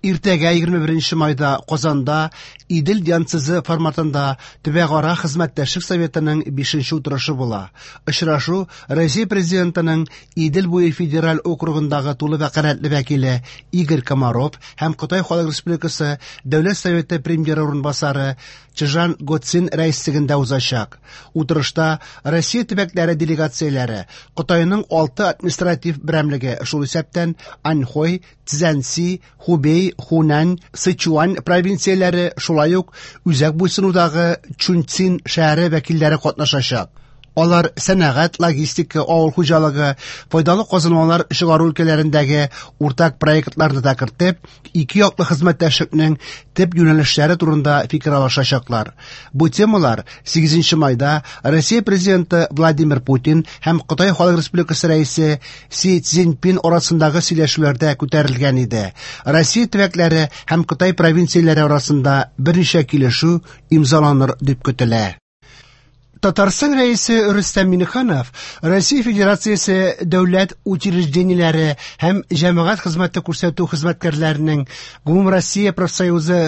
Иртәгә, 21 майда, Казанда Идел-Янцзы форматында төбәкара хезмәттәшлек советының бишенче утырышы була. Очрашу Россия Президентының Идел буе федераль округындагы тулы вәкаләтле вәкиле Игорь Комаров һәм Кытай Халык Республикасы Дәүләт Советы премьеры урынбасары Чжан Гоцин рәислегендә узачак. Утырышта Россия төбәкләре делегацияләре, Кытайның алты административ берәмлеге, шул исәптән Аньхой, Цзянси, Хубей, Хунань, Сычуань провинцияләре, шулай ук үзәк буйсынудагы Чунцин шәһәре вәкилләре катнашачак. Алар сәнәгать, логистика, авыл хуҗалыгы, файдалы казылмалар чыгару өлкәләрендәге уртак проектларны да кертеп, ике яклы хезмәттәшлекнең төп юнәлешләре турында фикер алышачаклар. Бу темалар 8 майда Россия Президенты Владимир Путин һәм Кытай Халык Республикасы Рәисе Си Цзиньпин арасындагы сөйләшүләрдә күтәрелгән иде. Россия төбәкләре һәм Кытай провинцияләре арасында берничә килешү имзаланыр дип көтелә. Татарстан Рәисе Рөстәм Миңнеханов Россия Федерациясе дәүләт учреждениеләре һәм җәмәгать хезмәте күрсәтү хезмәткәрләренең Гомумроссия профсоюзы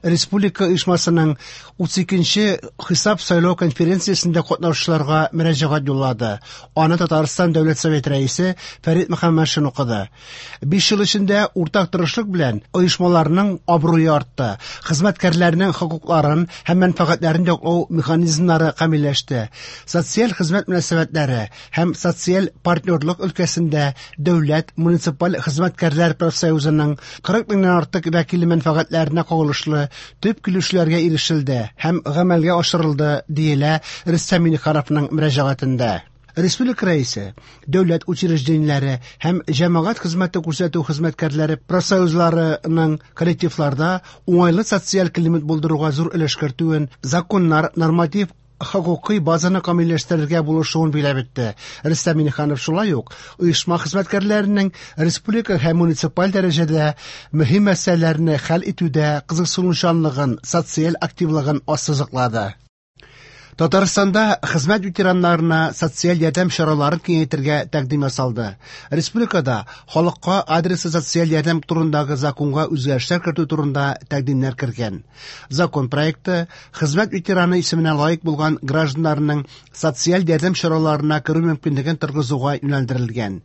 республика оешмасының 32 нче хисап-сайлау конференциясендә катнашучыларга мөрәҗәгать юллады. Аны Татарстан Дәүләт Советы Рәисе Фәрит Мөхәммәтшин укыды. Биш ел эчендә уртак тырышлык белән оешмаларның абруе артты, хезмәткәрләрнең хокукларын һәм мәнфәгатьләрен яклау механизмнары камилләште, социаль хезмәт мөнәсәбәтләре һәм социаль партнерлык өлкәсендә дәүләт муниципаль хезмәткәрләр профсоюзының 40 меңнән артык вәкиле мәнфәгатьләренә кагылышлы төп килешүләргә ирешелде һәм гамәлгә ашырылды, диелә Рөстәм Миңнехановның мөрәҗәгатендә. Республика Рәисе дәүләт учреждениеләре һәм җәмәгать хезмәте күрсәтү хезмәткәрләре профсоюзларының коллективларда уңайлы социаль климат булдыруга зур өлеш кертүен, законнар, норматив хокукый базаны камилләштерергә булышуын биләп үтте. Рөстәм Миңнеханов шулай ук оешма хезмәткәрләренең республика һәм муниципаль дәрәҗәдә мөһим мәсьәләләрне хәл итүдә кызыксынучанлыгын, социаль активлыгын ассызыклады. Татарстанда хезмәт ветераннарына социаль ярдәм чараларын киңәйтергә тәкъдим ясалды. Республикада халыкка адреслы социаль ярдәм турындагы законга үзгәрешләр кертү турында тәкъдимнәр кергән. Закон проекты хезмәт ветераны исеменә лаек булган гражданнарның социаль ярдәм чараларына керү мөмкинлеген торгызуга юнәлдерелгән.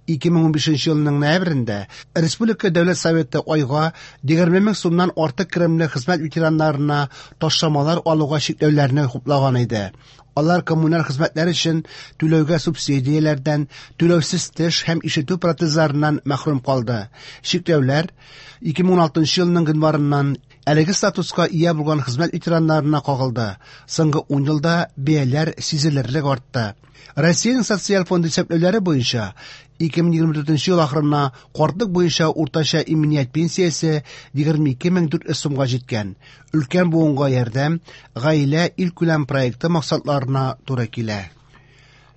2015 елның ноябрендә Республика Дәүләт Советы айга 20 мең сумнан артык керемле хезмәт ветераннарына ташламалар алуга чикләүләрне хуплаган иде. Алар коммуналь хезмәтләр өчен түләүгә субсидияләрдән, түләүсез теш һәм ишетү протезларыннан мәхрүм калды. Чикләүләр 2016 елның гыйнварыннан әлеге статуска ия булган хезмәт ветераннарына кагылды. Соңгы ун елда бәяләр сизелерлек артты. Россиянең социаль фонды исәпләүләре буенча, 2024 ел ахырына картлык буенча уртача иминият пенсиясе 22400 сумга җиткән. Өлкән буынга ярдәм Гаилә илкүләм проекты максатларына туры килә.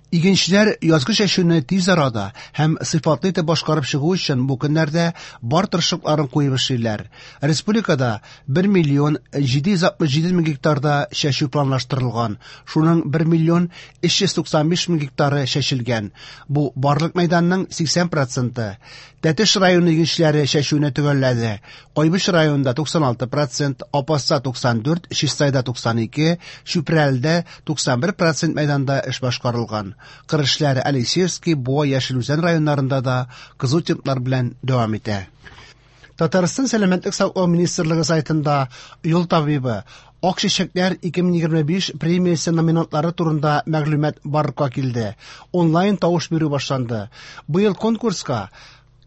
Игенчеләр язгы чәчүне тиз арада һәм сыйфатлы итеп башкарып чыгу өчен бу көннәрдә бар тырышлыкларын куеп эшлиләр. Республикада 1 миллион 767 мең гектарда чәчү планлаштырылган, шуның 1 миллион 395 мең гектары чәчелгән. Бу барлык мәйданның 80 проценты. Тәтеш районы игенчеләре чәчүне төгәлләде. Кайбыч районында 96 процент, Апаста 94, Чистайда 92, Чүпрәледә 91 процент мәйданда эш башкарылган. Кыр эшләре Алексеевский, Буа, Яшел Үзән районнарында да кызу темплар белән дәвам итә. Татарстан Сәламәтлек саклау министрлыгы сайтында Юл табибы Ак чәчәкләр 2025 премиясе номинантлары турында мәгълүмат барлыкка килде. Онлайн тавыш бирү башланды. Быел конкурска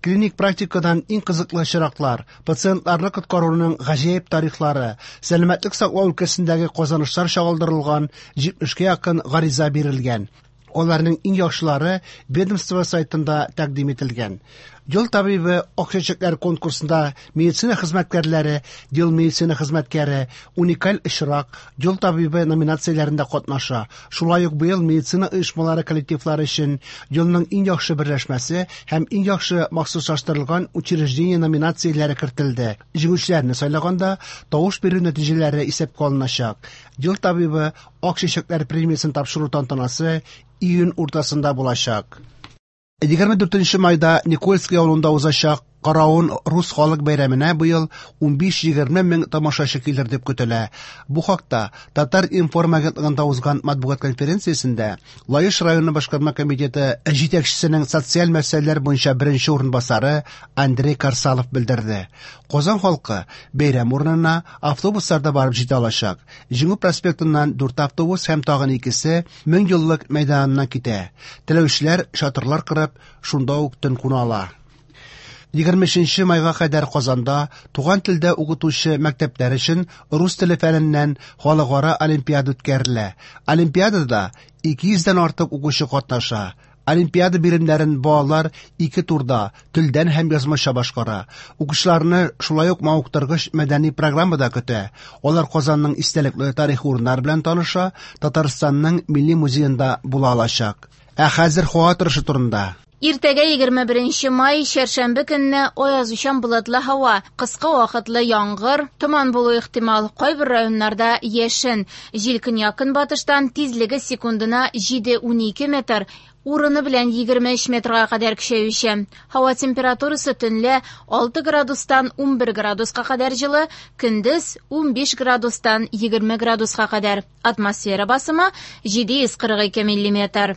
клиник практикадан иң кызыклы очраклар, пациентларны коткаруның гаҗәеп тарихлары, сәламәтлек саклау өлкәсендәге казанышлар чагылдырылган 70-кә якын гариза бирелгән. Аларның иң яхшылары ведомство сайтында тәкъдим ителгән. Ел табибы Ак чәчәкләр конкурсында медицина хезмәткәрләре, Ел медицина хезмәткәре, Уникаль очрак, Ел табибы номинацияләрендә катнаша. Шулай ук быел медицина оешмалары коллективлары өчен Елның иң яхшы берләшмәсе һәм Иң яхшы махсуслаштырылган учреждение номинацияләре кертелде. Җиңүчеләрне сайлаганда тавыш бирү нәтиҗәләре исәпкә алыначак. Ел табибы Ак чәчәкләр премиясен тапшыру тантанасы июнь уртасында булачак. 24 майда Никольский авылында узачак Каравон рус халык бәйрәменә быел 15-20 мең тамашачы килер дип көтелә. Бу хакта Татар-информ агентлыгында узган матбугат конференциясендә Лаеш районы башкарма комитеты җитәкчесенең социаль мәсьәләләр буенча беренче урынбасары Андрей Карсалов белдерде. Казан халкы бәйрәм урынына автобусларда барып җитә алачак. Җиңү проспектыннан дүрт автобус һәм тагын икесе Меңьеллык мәйданыннан китә. Теләүчеләр чатырлар корып, шунда ук төн куна ала. 23 майга кадәр Казанда туган телдә укытучы мәктәпләр өчен рус теле фәненнән халыкара олимпиада үткәрелә. Олимпиадада 200 дән артык укучы катнаша. Олимпиада биремнәрен балалар ике турда телдән һәм язмача башкара. Укучыларны шулай ук мавыктыргыч мәдәни программа да көтә. Алар Казанның истәлекле тарихи урыннары белән таныша, Татарстанның Милли музеенда була алачак. Ә хәзер һава торышы турында. Иртәгә 21 май, чәршәмбе көнне аязучан болытлы һава, кыска вакытлы яңгыр, томан булу ихтимал. Кайбер районнарда яшен. Җил көньяк-көнбатыштан, тизлеге секундына 7-12 метр, урыны белән 23 метрга кадәр көчәюче. Һава температурасы төнлә 6 градустан 11 градуска кадәр җылы, көндез 15 градустан 20 градуска кадәр. Атмосфера басымы 742 миллиметр.